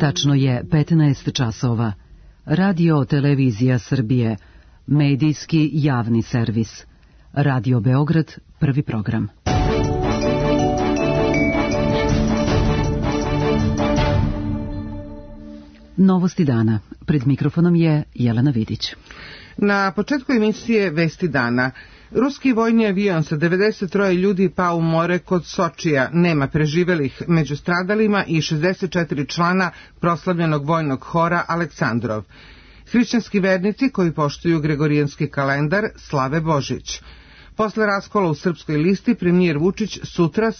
Tačno je 15 časova. Radio Televizija Srbije, medijski javni servis. Radio Beograd, prvi program. Novosti dana. Pred mikrofonom je Jelena Vidić. Na početku emisije Vesti dana. Ruski vojni avion sa 93 ljudi pao u more kod Sočija, nema preživelih među stradalima i 64 člana proslavljenog vojnog hora Aleksandrov. Hrišćanski vernici koji poštuju gregorijanski kalendar slave Božić. Posle raskola u Srpskoj listi, premijer Vučić sutra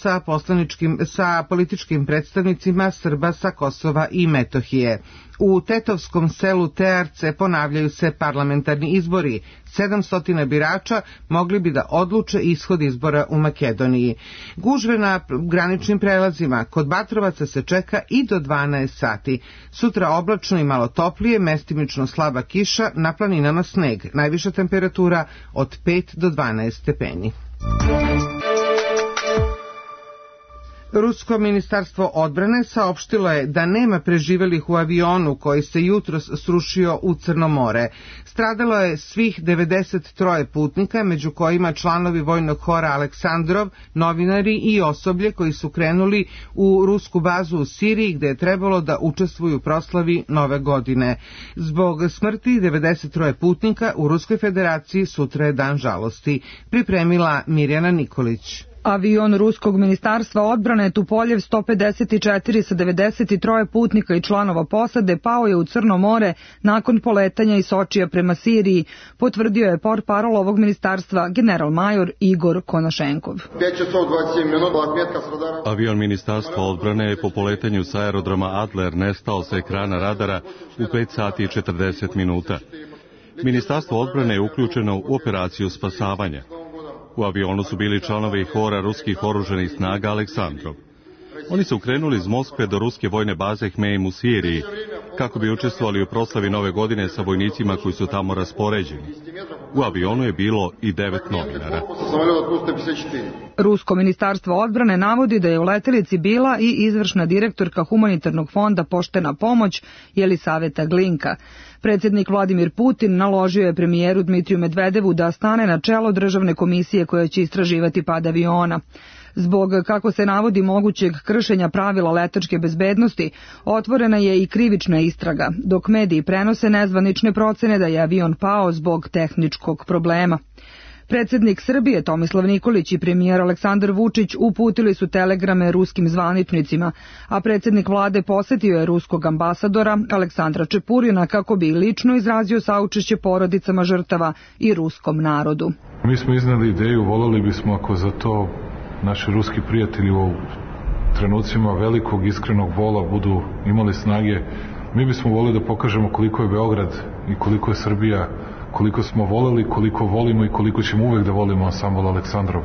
sa političkim predstavnicima Srba sa Kosova i Metohije. U tetovskom selu Tearce ponavljaju se parlamentarni izbori. 700 birača mogli bi da odluče ishod izbora u Makedoniji. Gužve na graničnim prelazima. Kod Batrovaca se čeka i do 12 sati. Sutra oblačno i malo toplije, mestimično slaba kiša, na planinama sneg. Najviša temperatura od 5 do 12 stepeni. Rusko ministarstvo odbrane saopštilo je da nema preživelih u avionu koji se jutros srušio u Crno more. Stradalo je svih 93 putnika, među kojima članovi vojnog hora Aleksandrov, novinari i osoblje koji su krenuli u rusku bazu u Siriji gde je trebalo da učestvuju u proslavi Nove godine. Zbog smrti 93 putnika u Ruskoj federaciji sutra je dan žalosti. Pripremila Mirjana Nikolić. Avion Ruskog ministarstva odbrane Tupoljev 154 sa 93 putnika i članova posade pao je u Crno more nakon poletanja iz Sočija prema Siriji, potvrdio je portparol ovog ministarstva general-major Igor Konašenkov. Avion ministarstva odbrane je po poletanju sa aerodroma Adler nestao sa ekrana radara u 5 sati i 40 minuta. Ministarstvo odbrane je uključeno u operaciju spasavanja. U avionu su bili članovi hora ruskih oružanih snaga Aleksandrov. Oni su krenuli iz Moskve do ruske vojne baze Hmeim u Siriji, kako bi učestvovali u proslavi Nove godine sa vojnicima koji su tamo raspoređeni. U avionu je bilo i 9 novinara. Rusko ministarstvo odbrane navodi da je u letelici bila i izvršna direktorka humanitarnog fonda Poštena pomoć Jelisaveta Glinka. Predsjednik Vladimir Putin naložio je premijeru Dmitriju Medvedevu da stane na čelo državne komisije koja će istraživati pad aviona. Zbog, kako se navodi, mogućeg kršenja pravila letačke bezbednosti, otvorena je i krivična istraga, dok mediji prenose nezvanične procene da je avion pao zbog tehničkog problema. Predsjednik Srbije Tomislav Nikolić i premijer Aleksandar Vučić uputili su telegrame ruskim zvaničnicima, a predsjednik vlade posetio je ruskog ambasadora Aleksandra Čepurina kako bi lično izrazio saučešće porodicama žrtava i ruskom narodu. Mi smo iznali ideju, voljeli bismo ako za to naši ruski prijatelji u trenucima velikog iskrenog bola budu imali snage, mi bismo voljeli da pokažemo koliko je Beograd i koliko je Srbija, koliko smo voleli, koliko volimo i koliko ćemo uvek da volimo ansambl Aleksandrov.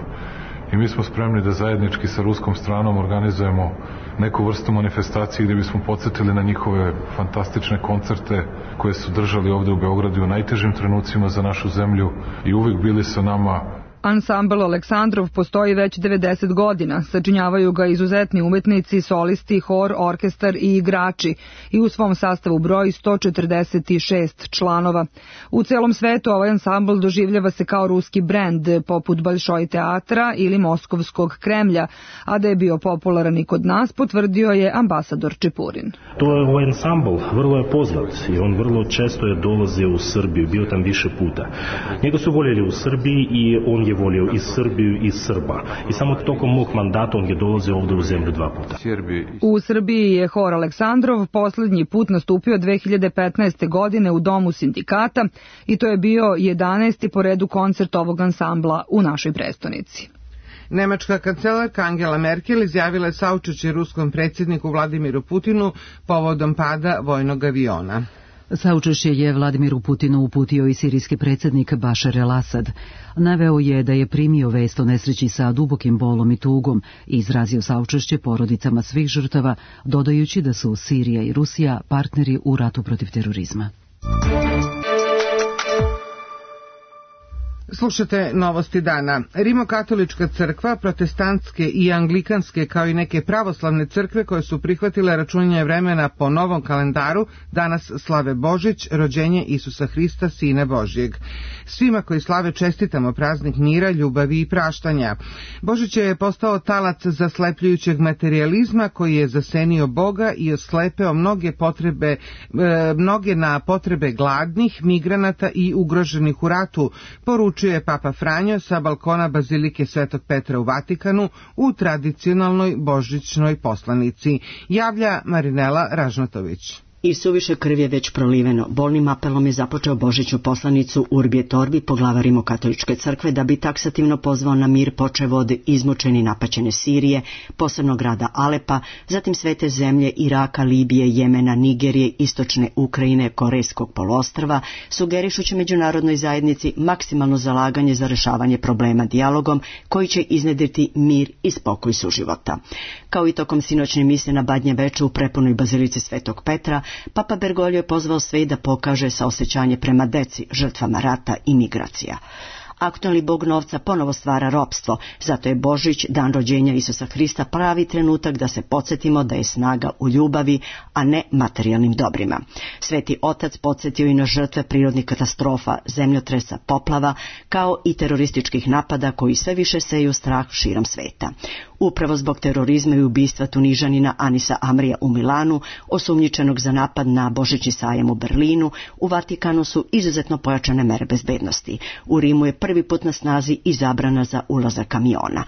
I mi smo spremni da zajednički sa ruskom stranom organizujemo neku vrstu manifestacije gdje bismo podsjetili na njihove fantastične koncerte koje su držali ovde u Beogradu u najtežim trenucima za našu zemlju i uvek bili sa nama. Ansambl Aleksandrov postoji već 90 godina, sačinjavaju ga izuzetni umetnici, solisti, hor, orkestar i igrači i u svom sastavu broji 146 članova. U celom svetu ovaj ansambl doživljava se kao ruski brend poput Balšoj teatra ili Moskovskog Kremlja, a da je bio popularan i kod nas potvrdio je ambasador Čepurin. To je ovaj ansambl, vrlo je poznat i on vrlo često je dolazio u Srbiju, bio tam više puta. Njega su voljeli u Srbiji i on je volio i Srbiju i Srba. I samo tokom mog mandata on je dolazio ovdje u zemlju 2 puta. U Srbiji je hor Aleksandrov posljednji put nastupio 2015. godine u Domu sindikata i to je bio 11. po redu koncert ovog ansambla u našoj prestonici. Nemačka kancelarka Angela Merkel izjavila je saučešće ruskom predsjedniku Vladimiru Putinu povodom pada vojnog aviona. Saučešće je Vladimiru Putinu uputio i sirijski predsjednik Bašar el-Asad. Naveo je da je primio vest o nesreći sa dubokim bolom i tugom i izrazio saučešće porodicama svih žrtava, dodajući da su Sirija i Rusija partneri u ratu protiv terorizma. Slušate Novosti dana. Rimokatolička crkva, protestantske i anglikanske kao i neke pravoslavne crkve koje su prihvatile računanje vremena po novom kalendaru danas slave Božić, rođenje Isusa Hrista, Sina Božjeg. Svima koji slave čestitamo praznik mira, ljubavi i praštanja. Božić je postao talac zaslepljujućeg materijalizma koji je zasenio Boga i oslepeo mnoge na potrebe gladnih, migranata i ugroženih u ratu, poručuje Papa Franjo sa balkona Bazilike Svetog Petra u Vatikanu u tradicionalnoj božićnoj poslanici. Javlja Marinela Ražnatović. I suviše krvi je već proliveno. Bolnim apelom je započeo božićnu poslanicu Urbi et Orbi, poglavar Rimokatoličke crkve, da bi taksativno pozvao na mir počev od izmučene i napaćene Sirije, posebno grada Alepa, zatim svete zemlje Iraka, Libije, Jemena, Nigerije, istočne Ukrajine, Korejskog poluostrva, sugerišući međunarodnoj zajednici maksimalno zalaganje za rešavanje problema dijalogom koji će iznedriti mir i spokoj suživota. Kao i tokom sinoćne mise na Badnje veče u prepunoj Bazilici Svetog Petra, Papa Bergoglio je pozvao sve da pokaže saosećanje prema deci, žrtvama rata i migracija. Aktualni bog novca ponovo stvara ropstvo, zato je Božić, dan rođenja Isusa Hrista, pravi trenutak da se podsjetimo da je snaga u ljubavi, a ne materijalnim dobrima. Sveti Otac podsjetio i na žrtve prirodnih katastrofa, zemljotresa, poplava, kao i terorističkih napada koji sve više seju strah širom sveta. Upravo zbog terorizma i ubistva Tunižanina Anisa Amrija u Milanu, osumnjičenog za napad na Božićni sajam u Berlinu, u Vatikanu su izuzetno pojačane mere bezbednosti. U Rimu je prvi put na snazi i zabrana za ulazak kamiona.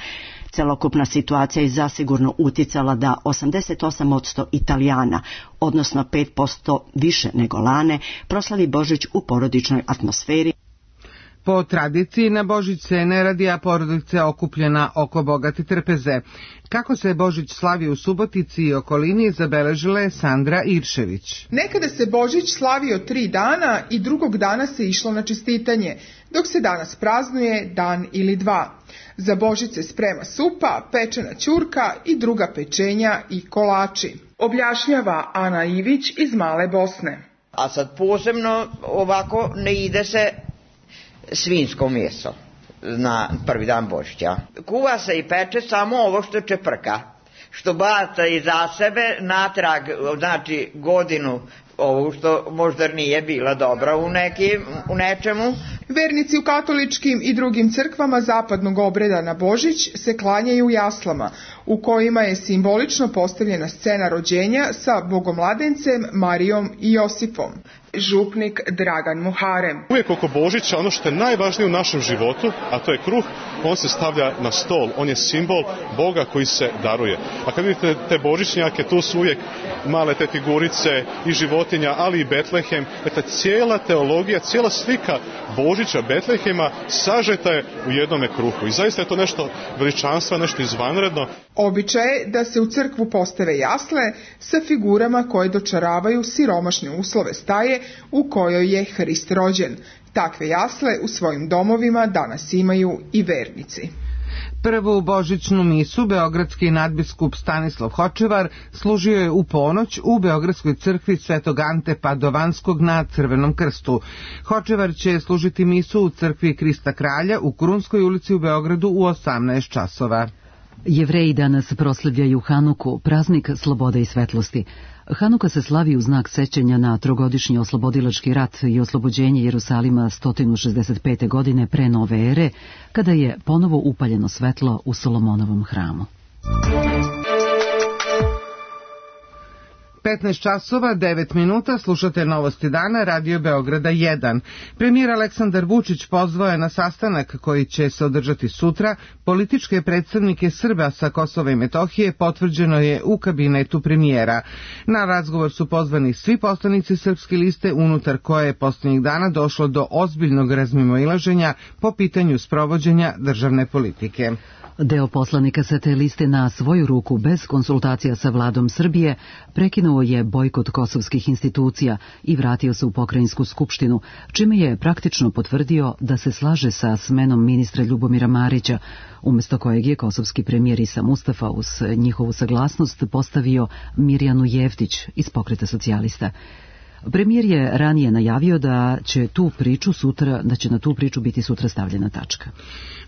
Celokupna situacija je zasigurno uticala da 88% Italijana, odnosno 5% više nego lane, proslavi Božić u porodičnoj atmosferi. Po tradiciji na Božić se ne radi, a porodica je okupljena oko bogate trpeze. Kako se Božić slavi u Subotici i okolini, zabeležila je Sandra Iršević. Nekada se Božić slavio 3 dana i drugog dana se išlo na čestitanje, dok se danas praznuje dan ili 2. Za Božić se sprema supa, pečena ćurka i druga pečenja i kolači. Objašnjava Ana Ivić iz Male Bosne. A sad posebno ovako ne ide se svinjsko meso na prvi dan Božića. Kuva se i peče samo ovo što čeprka, što baca iza sebe natrag, znači godinu, ovo što možda nije bila dobra u nečemu. Vernici u katoličkim i drugim crkvama zapadnog obreda na Božić se klanjaju jaslama, u kojima je simbolično postavljena scena rođenja sa bogomladencem Marijom i Josipom. Župnik Dragan Muharem. Uvijek oko Božića ono što je najvažnije u našem životu, a to je kruh, on se stavlja na stol, on je simbol Boga koji se daruje. A kad vidite te božićnjake, tu su uvijek male te figurice i životinja, ali i Betlehem. Dakle, cijela teologija, cijela slika Božića, Betlehema sažeta je u jednome kruhu. I zaista je to nešto veličanstva, nešto izvanredno. Običaj je da se u crkvu postave jasle sa figurama koje dočaravaju siromašne uslove staje u kojoj je Hrist rođen. Takve jasle u svojim domovima danas imaju i vernici. Prvu božićnu misu beogradski nadbiskup Stanislav Hočevar služio je u ponoć u Beogradskoj crkvi Svetog Ante Padovanskog na Crvenom krstu. Hočevar će služiti misu u crkvi Krista Kralja u Krunskoj ulici u Beogradu u 18 časova. Jevreji danas proslavljaju Hanuku, praznik slobode i svetlosti. Hanuka se slavi u znak sećanja na trogodišnji oslobodilački rat i oslobođenje Jerusalima 165. godine pre nove ere, kada je ponovo upaljeno svetlo u Solomonovom hramu. 15 časova, 9 minuta, slušate Novosti dana, Radio Beograda 1. Premijer Aleksandar Vučić pozvao je na sastanak koji će se održati sutra. Političke predstavnike Srba sa Kosova i Metohije potvrđeno je u kabinetu premijera. Na razgovor su pozvani svi poslanici Srpske liste, unutar koje je posljednjih dana došlo do ozbiljnog razmimoilaženja po pitanju sprovođenja državne politike. Deo poslanika sa te liste na svoju ruku, bez konsultacija sa vladom Srbije, prekinuo je bojkot kosovskih institucija i vratio se u pokrajinsku skupštinu, čime je praktično potvrdio da se slaže sa smenom ministra Ljubomira Marića, umjesto kojeg je kosovski premijer Isa Mustafa uz njihovu saglasnost postavio Mirjanu Jevtić iz Pokreta socijalista. Premijer je ranije najavio da će na tu priču biti sutra stavljena tačka.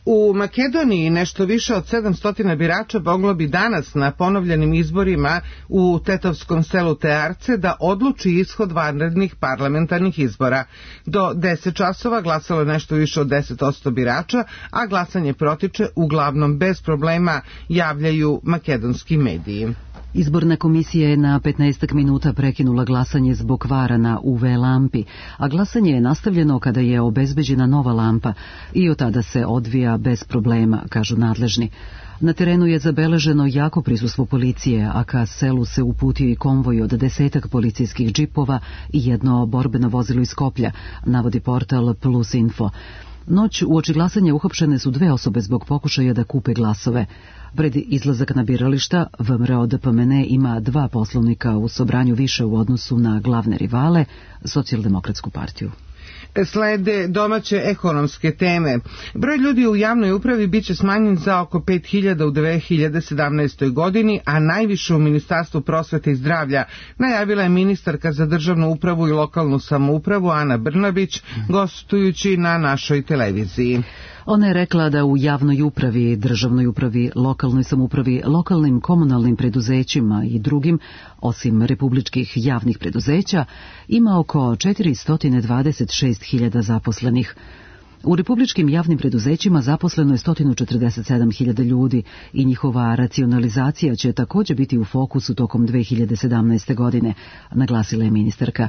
U Makedoniji nešto više od 700 birača moglo bi danas na ponovljenim izborima u tetovskom selu Tearce da odluči ishod vanrednih parlamentarnih izbora. Do 10 časova glasalo je nešto više od 10% birača, a glasanje protiče uglavnom bez problema, javljaju makedonski mediji. Izborna komisija je na 15 minuta prekinula glasanje zbog kvara na UV lampi, a glasanje je nastavljeno kada je obezbeđena nova lampa i od tada se odvija bez problema, kažu nadležni. Na terenu je zabeleženo jako prisustvo policije, a ka selu se uputio i konvoj od 10 policijskih džipova i jedno borbeno vozilo iz Skoplja, navodi portal Plus Info. Noć uoči glasanja uhapšene su 2 osobe zbog pokušaja da kupe glasove. Pred izlazak na birališta, VMRO DPMN ima 2 poslovnika u Sobranju više u odnosu na glavne rivale, Socijaldemokratsku partiju. Slede domaće ekonomske teme. Broj ljudi u javnoj upravi biće smanjen za oko 5000 u 2017. godini, a najviše u Ministarstvu prosvete i zdravlja, najavila je ministarka za državnu upravu i lokalnu samoupravu Ana Brnabić, gostujući na našoj televiziji. Ona je rekla da u javnoj upravi, državnoj upravi, lokalnoj samoupravi, lokalnim komunalnim preduzećima i drugim, osim republičkih javnih preduzeća, ima oko 426.000 zaposlenih. U republičkim javnim preduzećima zaposleno je 147.000 ljudi i njihova racionalizacija će također biti u fokusu tokom 2017. godine, naglasila je ministarka.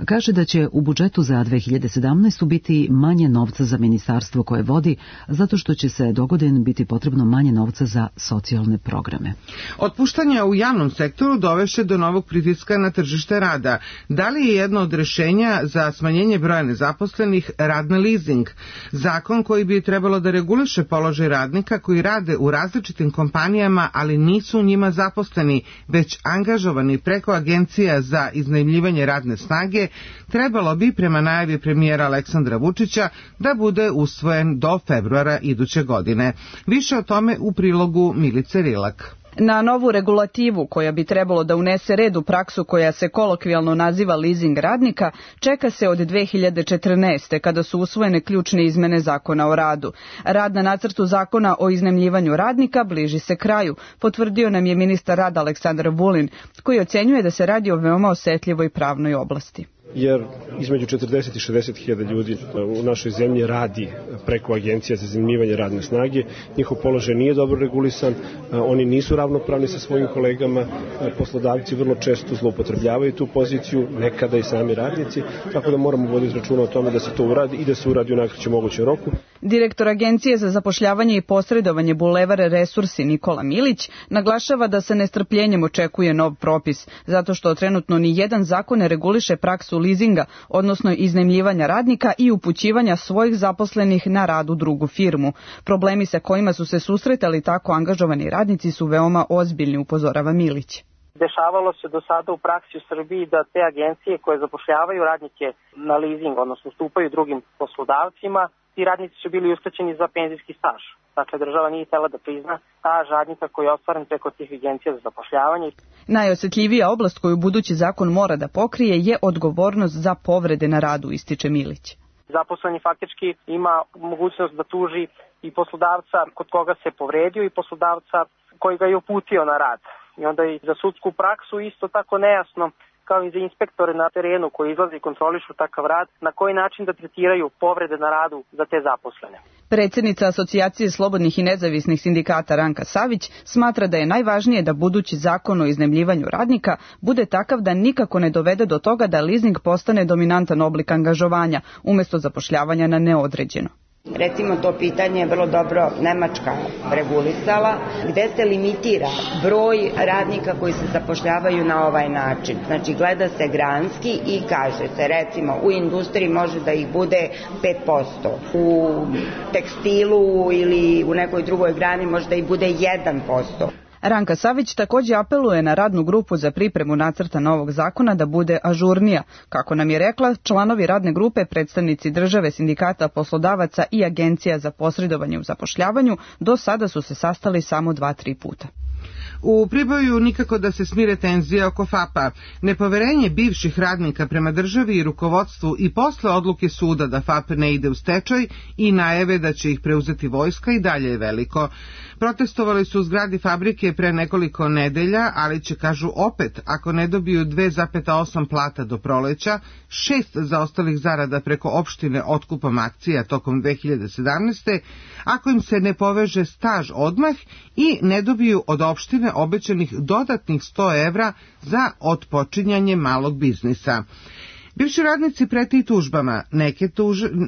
Kaže da će u budžetu za 2017. biti manje novca za ministarstvo koje vodi, zato što će se dogodine biti potrebno manje novca za socijalne programe. Otpuštanja u javnom sektoru dovešće do novog pritiska na tržište rada. Da li je jedno od rješenja za smanjenje broja nezaposlenih rad na leasing? Zakon koji bi trebalo da reguliše položaj radnika koji rade u različitim kompanijama, ali nisu u njima zaposleni, već angažovani preko agencija za iznajmljivanje radne snage, trebalo bi, prema najavi premijera Aleksandra Vučića, da bude usvojen do februara iduće godine. Više o tome u prilogu Milice Rilak. Na novu regulativu koja bi trebalo da unese red u praksu koja se kolokvijalno naziva leasing radnika, čeka se od 2014. kada su usvojene ključne izmene Zakona o radu. Rad na nacrtu Zakona o iznajmljivanju radnika bliži se kraju, potvrdio nam je ministar rada Aleksandar Vulin, koji ocenjuje da se radi o veoma osetljivoj pravnoj oblasti. Jer između 40 i 60.000 ljudi u našoj zemlji radi preko agencija za iznajmljivanje radne snage. Njihov položaj nije dobro regulisan, oni nisu ravnopravni sa svojim kolegama, poslodavci vrlo često zloupotrebljavaju tu poziciju, nekada i sami radnici, tako da moramo voditi računa o tome da se to uradi i da se uradi u najkraćem mogućem roku. Direktor Agencije za zapošljavanje i posredovanje Bulevar Resursi Nikola Milić naglašava da se nestrpljenjem očekuje nov propis, zato što trenutno ni jedan zakon ne reguliše praksu leasinga, odnosno iznajmljivanja radnika i upućivanja svojih zaposlenih na rad u drugu firmu. Problemi sa kojima su se susretali tako angažovani radnici su veoma ozbiljni, upozorava Milić. Dešavalo se do sada u praksi u Srbiji da te agencije koje zapošljavaju radnike na leasing, odnosno ustupaju drugim poslodavcima, ti radnici su bili uskraćeni za penzijski staž. Dakle, država nije htela da prizna staž radnika koji je ostvaren preko tih agencija za zapošljavanje. Najosjetljivija oblast koju budući zakon mora da pokrije je odgovornost za povrede na radu, ističe Milić. Zaposleni faktički ima mogućnost da tuži i poslodavca kod koga se povredio i poslodavca koji ga je uputio na rad. I onda i za sudsku praksu isto tako nejasno, kao i za inspektore na terenu koji izlaze i kontrolišu takav rad, na koji način da tretiraju povrede na radu za te zaposlene. Predsjednica Asocijacije slobodnih i nezavisnih sindikata Ranka Savić smatra da je najvažnije da budući zakon o iznajmljivanju radnika bude takav da nikako ne dovede do toga da leasing postane dominantan oblik angažovanja umjesto zapošljavanja na neodređeno. Recimo, to pitanje je vrlo dobro Nemačka regulisala, gde se limitira broj radnika koji se zapošljavaju na ovaj način. Znači, gleda se granski i kaže se, recimo, u industriji može da ih bude 5%, u tekstilu ili u nekoj drugoj grani može da ih bude 1%. Ranka Savić također apeluje na radnu grupu za pripremu nacrta novog zakona da bude ažurnija. Kako nam je rekla, članovi radne grupe, predstavnici države, sindikata, poslodavaca i agencija za posredovanje u zapošljavanju do sada su se sastali samo 2-3 puta. U Priboju nikako da se smire tenzije oko FAP-a. Nepoverenje bivših radnika prema državi i rukovodstvu i posle odluke suda da FAP ne ide u stečaj i najave da će ih preuzeti vojska i dalje je veliko. Protestovali su u zgradi fabrike pre nekoliko nedelja, ali će, kažu, opet, ako ne dobiju 2,8 plata do proleća, 6 zaostalih zarada preko opštine otkupom akcija tokom 2017. ako im se ne poveže staž odmah i ne dobiju od opštine obećanih dodatnih 100 evra za otpočinjanje malog biznisa. Bivši radnici prete i tužbama,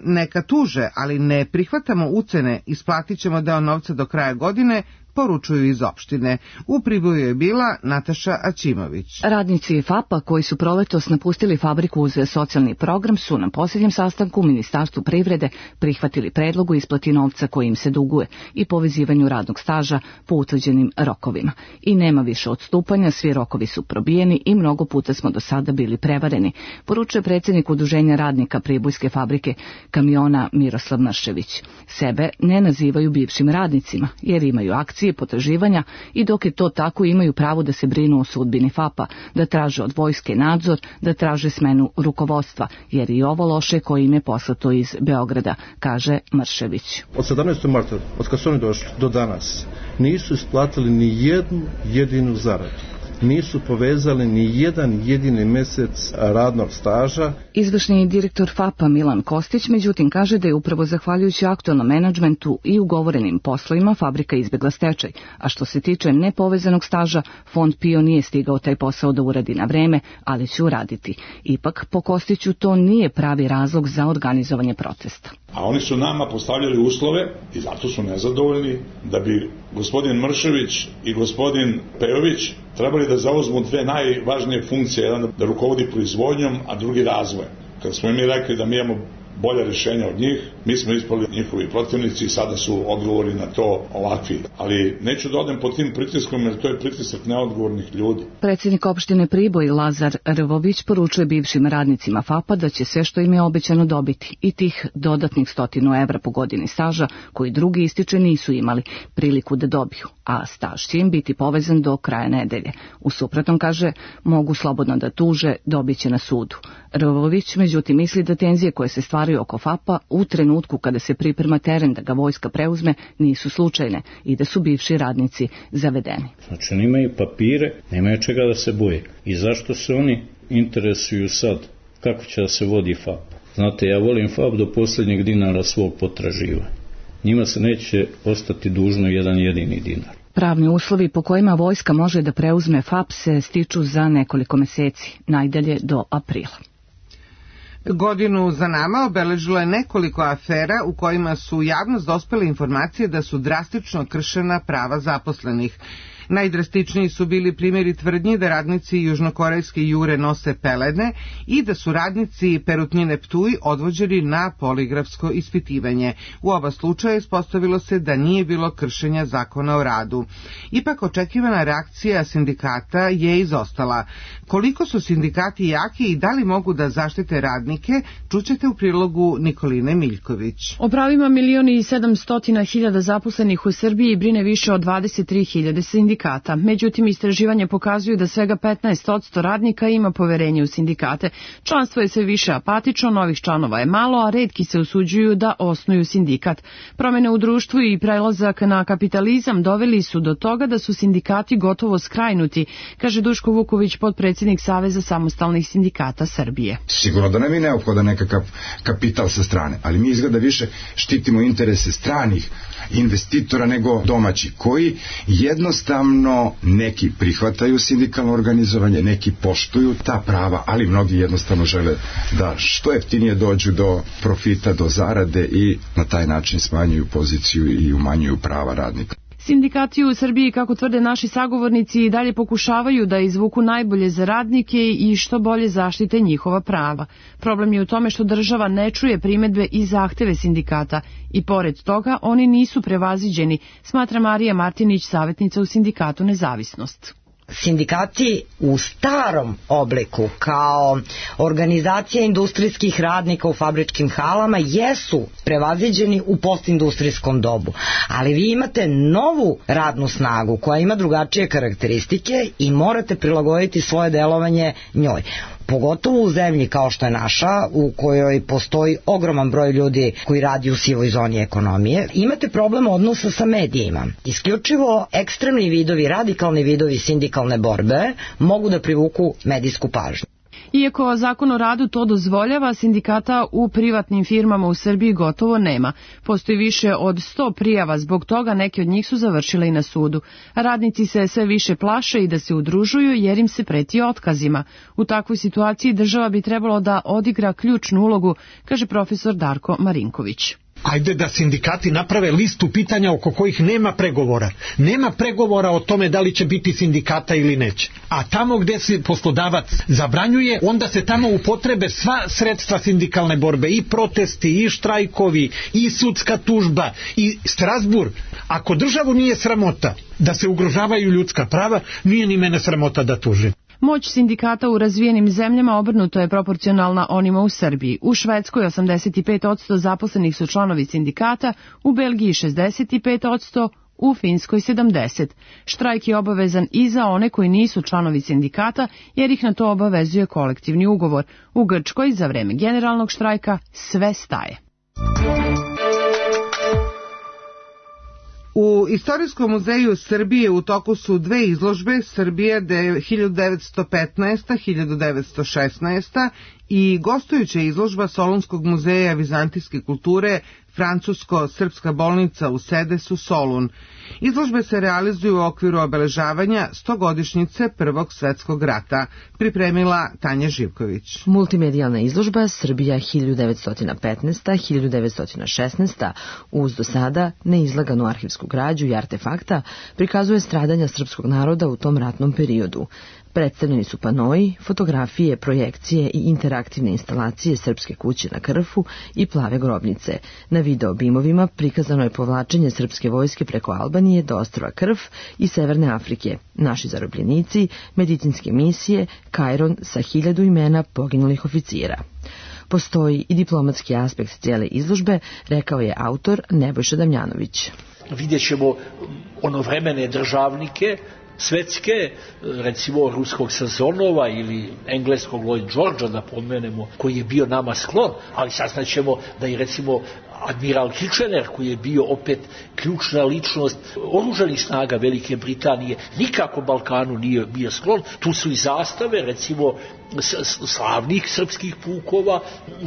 neka tuže, ali ne prihvatamo ucene, isplatit ćemo deo novca do kraja godine, poručuju iz opštine. U Priboju je bila Nataša Aćimović. Radnici FAP-a koji su proletos napustili fabriku uz socijalni program su na posljednjem sastanku u Ministarstvu privrede prihvatili predlog o isplati novca koji im se duguje i povezivanju radnog staža po utvrđenim rokovima. I nema više odstupanja, svi rokovi su probijeni i mnogo puta smo do sada bili prevareni, poručuje predsjednik Udruženja radnika Pribojske fabrike kamiona Miroslav Mršević. Sebe ne nazivaju bivšim radnicima jer imaju akcije, potraživanja i dok je to tako imaju pravo da se brinu o sudbini FAP-a, da traže od vojske nadzor, da traže smenu rukovodstva, jer i ovo loše koje im je poslato iz Beograda, kaže Mršević. Od 17. marta, od kad su oni došli do danas, nisu isplatili ni jednu jedinu zaradu. Nisu povezali ni jedan jedini mesec radnog staža. Izvršni direktor FAP-a Milan Kostić međutim kaže da je upravo zahvaljujući aktualnom menadžmentu i ugovorenim poslovima fabrika izbjegla stečaj, a što se tiče nepovezanog staža, Fond PIO nije stigao taj posao da uradi na vreme, ali će uraditi. Ipak, po Kostiću, to nije pravi razlog za organizovanje protesta. A oni su nama postavljali uslove i zato su nezadovoljni da bi gospodin Mršević i gospodin Pejović trebali da zauzmu dve najvažnije funkcije, jedan da rukovodi proizvodnjom, a drugi razvojem. Kad smo mi rekli da mi imamo bolje rješenja od njih, mi smo ispali njihovi protivnici i sada su odgovori na to ovakvi. Ali neću da odem pod tim pritiskom jer to je pritisak neodgovornih ljudi. Predsjednik opštine Priboj Lazar Rvović poručuje bivšim radnicima FAP-a da će sve što im je obećano dobiti i tih dodatnih 100 evra po godini staža koji drugi ističe nisu imali priliku da dobiju, a staž će im biti povezan do kraja nedelje. U suprotnom, kaže, mogu slobodno da tuže, dobit će na sudu. Rvović međutim misli da tenzije koje se stvaraju oko FAP-a u trenutku kada se priprema teren da ga vojska preuzme nisu slučajne i da su bivši radnici zavedeni. Znači oni imaju papire, nemaju čega da se boje. I zašto se oni interesuju sad kako će da se vodi FAP? Znate, ja volim FAP do posljednjeg dinara svog potraživanja. Njima se neće ostati dužno jedan jedini dinar. Pravni uslovi po kojima vojska može da preuzme FAP se stiču za nekoliko meseci, najdalje do aprila. Godinu za nama obeležilo je nekoliko afera u kojima su u javnost dospele informacije da su drastično kršena prava zaposlenih. Najdrastičniji su bili primjeri tvrdnji da radnici južnokorejske Jure nose pelene i da su radnici Perutnine Ptuj odvođeni na poligrafsko ispitivanje. U oba slučaja ispostavilo se da nije bilo kršenja zakona o radu. Ipak očekivana reakcija sindikata je izostala. Koliko su sindikati jaki i da li mogu da zaštite radnike, čućete u prilogu Nikoline Miljković. O pravima 1.700.000 zaposlenih u Srbiji brine više od 23.000 sindikata. Međutim, istraživanje pokazuju da svega 15% radnika ima poverenje u sindikate. Članstvo je sve više apatično, novih članova je malo, a retki se usuđuju da osnuju sindikat. Promjene u društvu i prelazak na kapitalizam doveli su do toga da su sindikati gotovo skrajnuti, kaže Duško Vuković, potpredsjednik Saveza samostalnih sindikata Srbije. Sigurno da nam je neophodan nekakav kapital sa strane, ali mi izgleda više štitimo interese stranih investitora nego domaći, koji jednostavno neki prihvataju sindikalno organizovanje, neki poštuju ta prava, ali mnogi jednostavno žele da što jeftinije dođu do profita, do zarade i na taj način smanjuju poziciju i umanjuju prava radnika. Sindikati u Srbiji, kako tvrde naši sagovornici, i dalje pokušavaju da izvuku najbolje za radnike i što bolje zaštite njihova prava. Problem je u tome što država ne čuje primedbe i zahteve sindikata i pored toga oni nisu prevaziđeni, smatra Marija Martinić, savjetnica u sindikatu Nezavisnost. Sindikati u starom obliku kao organizacija industrijskih radnika u fabričkim halama jesu prevaziđeni u postindustrijskom dobu, ali vi imate novu radnu snagu koja ima drugačije karakteristike i morate prilagoditi svoje delovanje njoj. Pogotovo u zemlji kao što je naša, u kojoj postoji ogroman broj ljudi koji radi u sivoj zoni ekonomije, imate problem odnosa sa medijima. Isključivo ekstremni vidovi, radikalni vidovi sindikalne borbe mogu da privuku medijsku pažnju. Iako zakon o radu to dozvoljava, sindikata u privatnim firmama u Srbiji gotovo nema. Postoji više od 100 prijava, zbog toga neke od njih su završile i na sudu. Radnici se sve više plaše i da se udružuju jer im se preti otkazima. U takvoj situaciji država bi trebalo da odigra ključnu ulogu, kaže profesor Darko Marinković. Ajde da sindikati naprave listu pitanja oko kojih nema pregovora. Nema pregovora o tome da li će biti sindikata ili neće. A tamo gde se poslodavac zabranjuje, onda se tamo upotrebe sva sredstva sindikalne borbe, i protesti, i štrajkovi, i sudska tužba, i Strasburg. Ako državu nije sramota da se ugrožavaju ljudska prava, nije ni mene sramota da tužim. Moć sindikata u razvijenim zemljama obrnuto je proporcionalna onima u Srbiji. U Švedskoj 85% zaposlenih su članovi sindikata, u Belgiji 65%, u Finskoj 70%. Štrajk je obavezan i za one koji nisu članovi sindikata, jer ih na to obavezuje kolektivni ugovor. U Grčkoj za vreme generalnog štrajka sve staje. U Istorijskom muzeju Srbije u toku su dve izložbe, Srbija 1915-1916 i gostujuća izložba Solunskog muzeja vizantijske kulture Francusko-srpska bolnica u Sedesu, Solun. Izložbe se realizuju u okviru obeležavanja 100-godišnjice Prvog svetskog rata, pripremila Tanja Živković. Multimedijalna izložba Srbija 1915-1916 uz do sada neizlaganu arhivsku građu i artefakta prikazuje stradanja srpskog naroda u tom ratnom periodu. Predstavljeni su panoji, fotografije, projekcije i interaktivne instalacije Srpske kuće na Krfu i Plave grobnice. Na video bimovima prikazano je povlačenje srpske vojske preko Albanije do ostrva Krf i Severne Afrike, naši zarobljenici, medicinske misije, Kajron sa 1000 imena poginulih oficira. Postoji i diplomatski aspekt cijele izložbe, rekao je autor Nebojša Damjanović. Vidjet ćemo onovremene državnike, svetske, recimo ruskog Sazonova ili engleskog Lloyd Georgea, da pomenemo, koji je bio nama sklon, ali saznaćemo da i recimo admiral Kitchener, koji je bio opet ključna ličnost oružanih snaga Velike Britanije, nikako Balkanu nije bio sklon. Tu su i zastave, recimo slavnih srpskih pukova,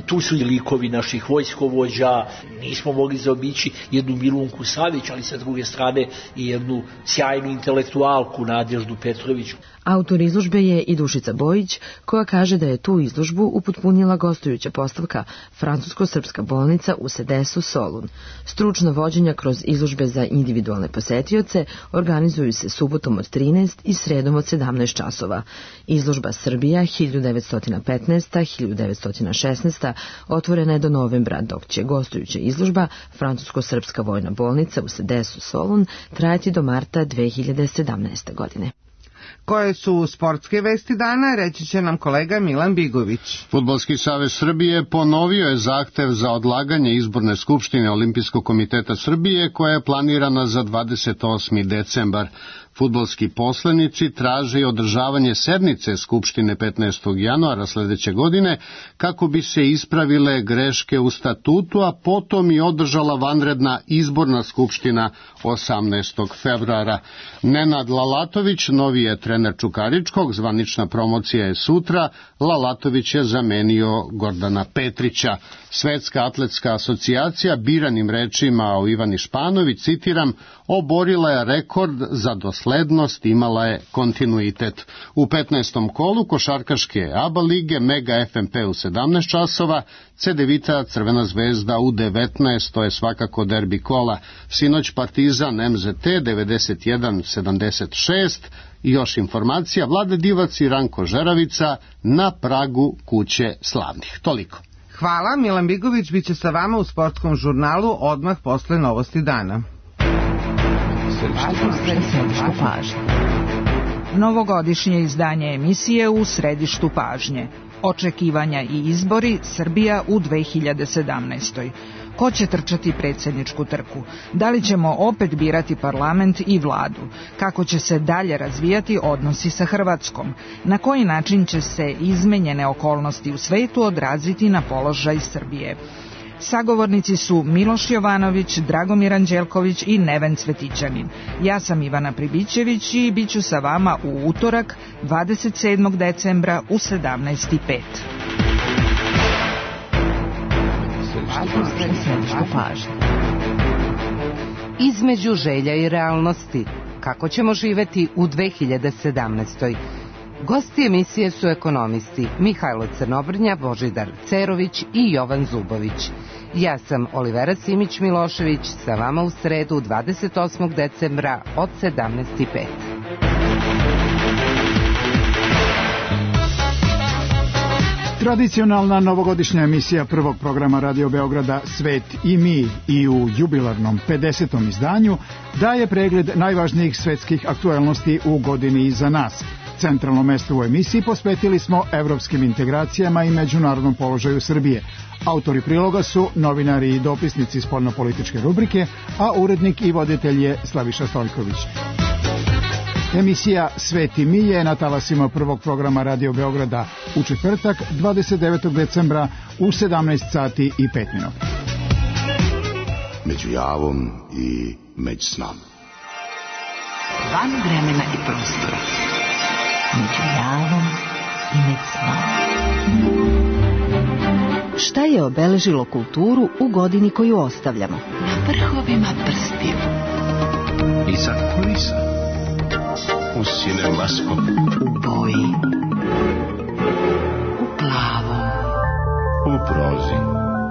tu su i likovi naših vojskovođa, nismo mogli zaobići jednu Milunku Savić, ali sa druge strane i jednu sjajnu intelektualku Nadeždu Petrović. Autor izložbe je i Dušica Bojić, koja kaže da je tu izložbu upotpunila gostujuća postavka Francusko-srpska bolnica u Sedesu, Solun. Stručna vođenja kroz izložbe za individualne posetioce organizuju se subotom od 13 i sredom od 17 časova. Izložba Srbija 1915-1916 otvorena je do novembra, dok će gostujuća izložba Francusko-srpska vojna bolnica u Sedesu, Solun trajati do marta 2017. godine. Koje su sportske vesti dana, reći će nam kolega Milan Bigović. Fudbalski savez Srbije ponovio je zahtev za odlaganje izborne skupštine Olimpijskog komiteta Srbije koja je planirana za 28. decembar. Fudbalski poslanici traže i održavanje sednice Skupštine 15. januara sledeće godine kako bi se ispravile greške u statutu, a potom i održala vanredna izborna skupština 18. februara. Nenad Lalatović novi je trener Čukaričkog, zvanična promocija je sutra, Lalatović je zamenio Gordana Petrića. Svetska atletska asocijacija biranim rečima o Ivani Španović, citiram, oborila je rekord za doslednost, imala je kontinuitet. U 15. kolu košarkaške ABA lige Mega FNP u 17 časova, Cedevita Crvena zvezda u 19, to je svakako derbi kola. Sinoć Partizan MZT 91-76, i još informacija, Vlade Divac i Ranko Žeravica na pragu kuće slavnih. Toliko. Hvala, Milan Bigović biće sa vama u sportskom žurnalu odmah posle novosti dana. Novogodišnje izdanje emisije u središtu pažnje. Očekivanja i izbori Srbija u 2017. Ko će trčati predsjedničku trku? Da li ćemo opet birati parlament i vladu? Kako će se dalje razvijati odnosi sa Hrvatskom? Na koji način će se izmenjene okolnosti u svetu odraziti na položaj Srbije? Sagovornici su Miloš Jovanović, Dragomir Anđelković i Neven Cvetićanin. Ja sam Ivana Pribićević i bit ću sa vama u utorak 27. decembra u 17:05. Između želja i realnosti. Kako ćemo živeti u 2017. Gosti emisije su ekonomisti Mihajlo Crnobrnja, Božidar Cerović i Jovan Zubović. Ja sam Olivera Simić-Milošević, sa vama u sredu 28. decembra od 17:05. Tradicionalna novogodišnja emisija prvog programa Radio Beograda Svet i mi i u jubilarnom 50. izdanju daje pregled najvažnijih svetskih aktuelnosti u godini iza nas. Centralno mesto u emisiji posvetili smo evropskim integracijama i međunarodnom položaju Srbije. Autori priloga su novinari i dopisnici spoljnopolitičke rubrike, a urednik i voditelj je Slaviša Stojković. Emisija Svet i mi je na talasima prvog programa Radio Beograda u četvrtak 29. decembra u 17:05. Među javom i među snom. Van vremena i prostora. Među javom i među snom. Šta je obeležilo kulturu u godini koju ostavljamo? Na vrhovima prstiju. Iza kulisa. U cinemaskop. U boji. U plavom. U prozi.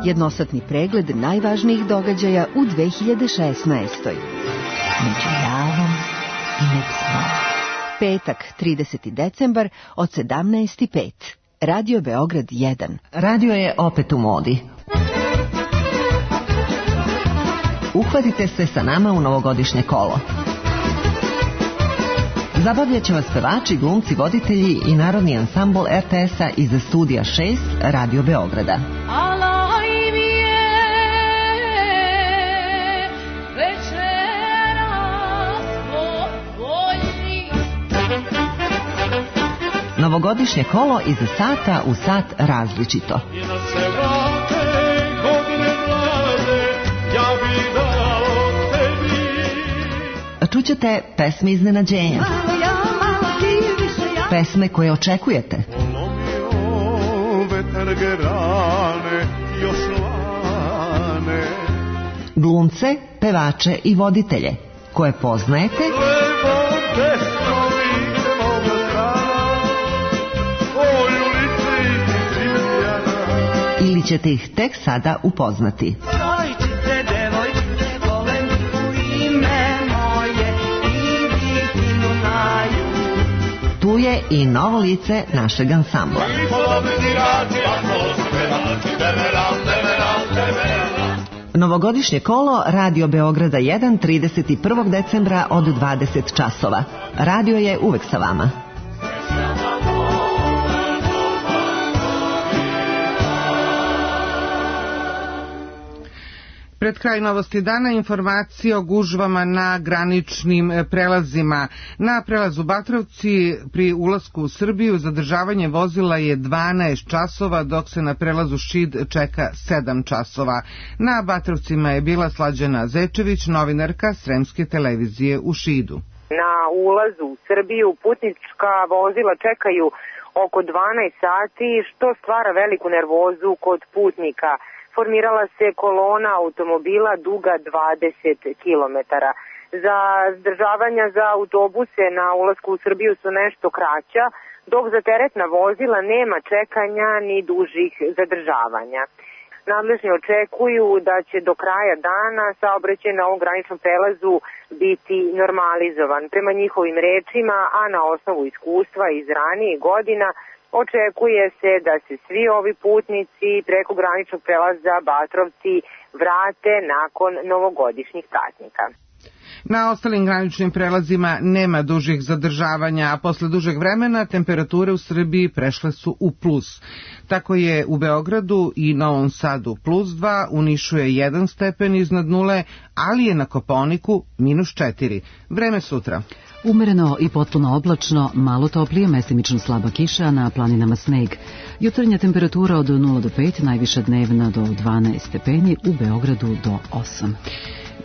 Jednosatni pregled najvažnijih događaja u 2016. Među javom i među snom. Petak, 30. decembar od 17:05. Radio Beograd 1. Radio je opet u modi. Uhvatite se sa nama u novogodišnje kolo. Zabavljat će vas pevači, glumci, voditelji i narodni ansambl RTS-a iz studija 6 Radio Beograda. Novogodišnje kolo iz sata u sat različito. Čućete pesme iznenađenja. Pesme koje očekujete. Glumce, pevače i voditelje koje poznajete ili ćete ih tek sada upoznati. Tu je i novo lice našeg ansambla. Novogodišnje kolo Radio Beograda 1 31. decembra od 20 časova. Radio je uvek sa vama. Pred kraj novosti dana informacije o gužvama na graničnim prelazima. Na prelazu Batrovci pri ulasku u Srbiju zadržavanje vozila je 12 časova, dok se na prelazu Šid čeka 7 časova. Na Batrovcima je bila Slađana Zečević, novinarka Sremske televizije u Šidu. Na ulazu u Srbiju putnička vozila čekaju oko 12 sati, što stvara veliku nervozu kod putnika. Formirala se kolona automobila duga 20 km. Za zadržavanja za autobuse na ulasku u Srbiju su nešto kraća, dok za teretna vozila nema čekanja ni dužih zadržavanja. Nadležni očekuju da će do kraja dana saobraćaj na ovom graničnom prelazu biti normalizovan. Prema njihovim rečima, a na osnovu iskustva iz ranijih godina, očekuje se da se svi ovi putnici preko graničnog prelaza Batrovci vrate nakon novogodišnjih praznika. Na ostalim graničnim prelazima nema dužih zadržavanja, a posle dužeg vremena temperature u Srbiji prešle su u plus. Tako je u Beogradu i Novom Sadu +2, u Nišu je 1 stepen iznad nule, ali je na Kopaoniku -4. Vreme sutra. Umereno i potpuno oblačno, malo toplije, mestimično slaba kiša, na planinama sneg. Jutarnja temperatura od 0 do 5, najviša dnevna do 12 stepeni, u Beogradu do 8.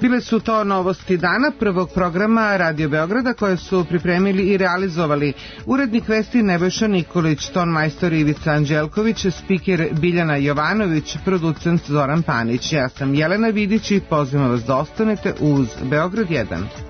Bile su to novosti dana prvog programa Radio Beograda koje su pripremili i realizovali urednik vesti Nebojša Nikolić, ton majstor Ivica Anđelković, spiker Biljana Jovanović, producent Zoran Panić. Ja sam Jelena Vidić i pozivam vas da ostanete uz Beograd 1.